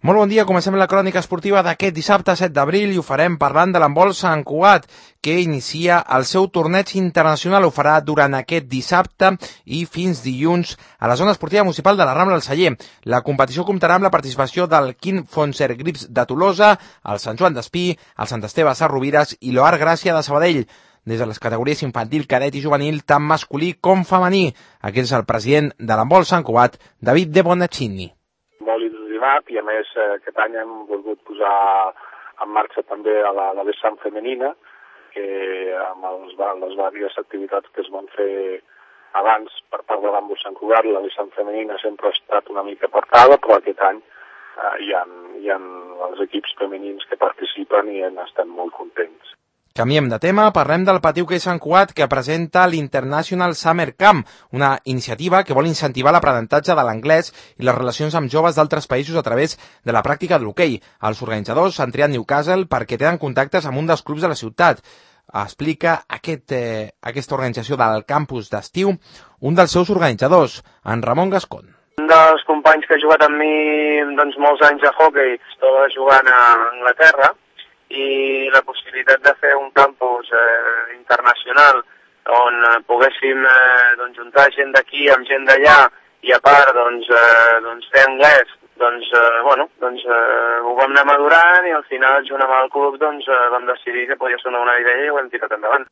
Molt bon dia, comencem la crònica esportiva d'aquest dissabte 7 d'abril i ho farem parlant de l'handbol Sant Cugat, que inicia el seu torneig internacional. Ho farà durant aquest dissabte i fins dilluns a la zona esportiva municipal de la Rambla del Celler. La competició comptarà amb la participació del Quim Fonser Grips de Tolosa, el Sant Joan d'Espí, el Sant Esteve Sarrovires i l'Oar Gràcia de Sabadell. Des de les categories infantil, cadet i juvenil, tant masculí com femení. Aquest és el president de l'handbol Sant Cugat, David De Bonaccini. Molt il·lusionat i a més aquest any hem volgut posar en marxa també a la vessant femenina, que amb les diverses activitats que es van fer abans per part de l'handbol Sant Cugat, la vessant femenina sempre ha estat una mica apartada, però aquest any hi ha els equips femenins que participen i estem molt contents. Canviem de tema, parlem del Patiu Hoquei Sant Cugat, que presenta l'International Summer Camp, una iniciativa que vol incentivar l'aprenentatge de l'anglès i les relacions amb joves d'altres països a través de la pràctica de l'hoquei. Els organitzadors s'han triat Newcastle perquè tenen contactes amb un dels clubs de la ciutat. Explica aquesta organització del campus d'estiu un dels seus organitzadors, en Ramon Gascon. Un dels companys que ha jugat amb mi molts anys a hoquei, estava jugant a Anglaterra, i la possibilitat de fer un campus internacional on poguéssim juntar gent d'aquí amb gent d'allà i a part fer anglès, ho vam anar madurant i al final junt amb el club vam decidir que podia ser una bona idea i ho hem tirat endavant.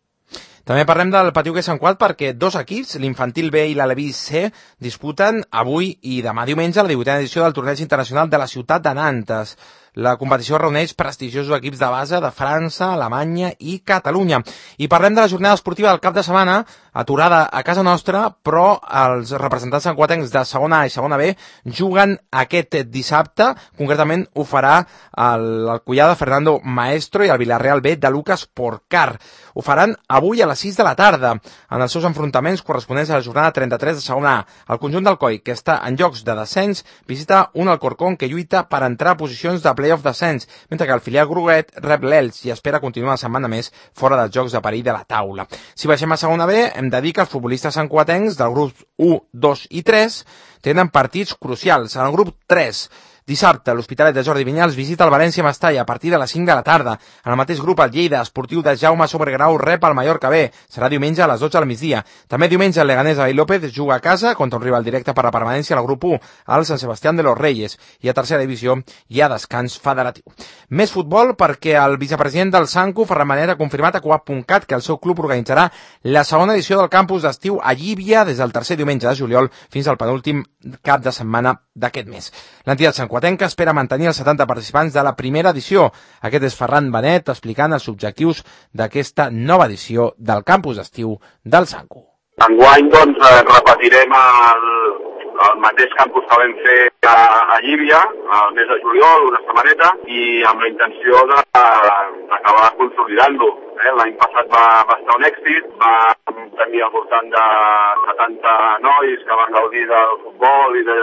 També parlem del Patiu Hoquei Sant Cugat perquè dos equips, l'infantil B i l'Aleví C, disputen avui i demà diumenge la 18a edició del torneig internacional de la ciutat de Nantes. La competició reuneix prestigiosos equips de base de França, Alemanya i Catalunya. I parlem de la jornada esportiva del cap de setmana, aturada a casa nostra, però els representants santcugatencs de segona A i segona B juguen aquest dissabte. Concretament ho farà el Collada Fernando Maestro i el Villarreal B de Lucas Porcar. Ho faran avui a les 6 de la tarda, en els seus enfrontaments corresponents a la jornada 33 de segona A. El conjunt del COI, que està en jocs de descens, visita un Alcorcón que lluita per entrar a posicions de playoff descens, mentre que el filial groguet rep l'Elx i espera continuar la setmana més fora dels jocs de perill de la taula. Si baixem a segona B, hem de dir que els futbolistes santcugatencs del grup 1, 2 i 3 tenen partits crucials. En el grup 3, dissabte, l'Hospitalet de Jordi Vinyals visita el València Mestalla a partir de les 5 de la tarda. En el mateix grup, el Lleida Esportiu de Jaume Sobregrau rep el Mallorca B. Serà diumenge a les 12 del migdia. També diumenge el Leganés de Vall López juga a casa contra un rival directe per la permanència al grup 1, al Sant Sebastián de los Reyes. I a tercera divisió hi ha descans federatiu. Més futbol perquè el vicepresident del Sancu, Ferran Manet, ha confirmat a Coap.cat que el seu club organitzarà la segona edició del campus d'estiu a Llívia des del tercer diumenge de juliol fins al penúltim cap de setmana d'aquest mes. L'entitat santcugatenca espera mantenir els 70 participants de la primera edició. Aquest és Ferran Manet explicant els objectius d'aquesta nova edició del campus d'estiu del Sancu. Enguany, repetirem el mateix campus que vam fer a Llívia, al mes de juliol, una setmaneta, i amb la intenció d'acabar consolidant-lo. L'any passat va estar un èxit, vam tenir al voltant de 70 nois que van gaudir del futbol i de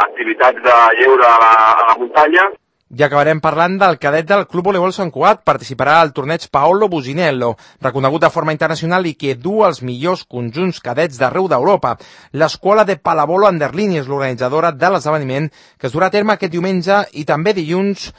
activitats de lleure a la muntanya. I acabarem parlant del cadet del Club Voleibol Sant Cugat. Participarà al torneig Paolo Businello, reconegut de forma internacional i que du els millors conjunts cadets d'arreu d'Europa. L'escola de Palavolo Anderlini és l'organitzadora de l'esdeveniment que es durà a terme aquest diumenge i també dilluns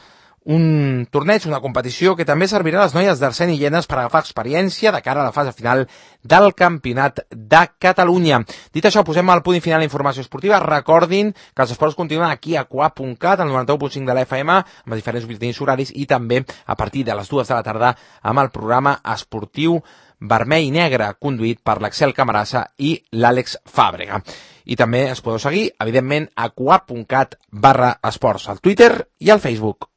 un torneig, una competició que també servirà a les noies d'Arsèn i Llenes per agafar experiència de cara a la fase final del Campionat de Catalunya. Dit això, posem al punt i final la informació esportiva. Recordin que els esports continuen aquí a Coap.cat, al 91.5 de la FM, amb els diferents butlletins horaris i també a partir de les 2 de la tarda amb el programa esportiu Vermell i Negre, conduït per l'Axel Camarasa i l'Àlex Fàbrega. I també es podeu seguir, evidentment, a coap.cat/esports, al Twitter i al Facebook.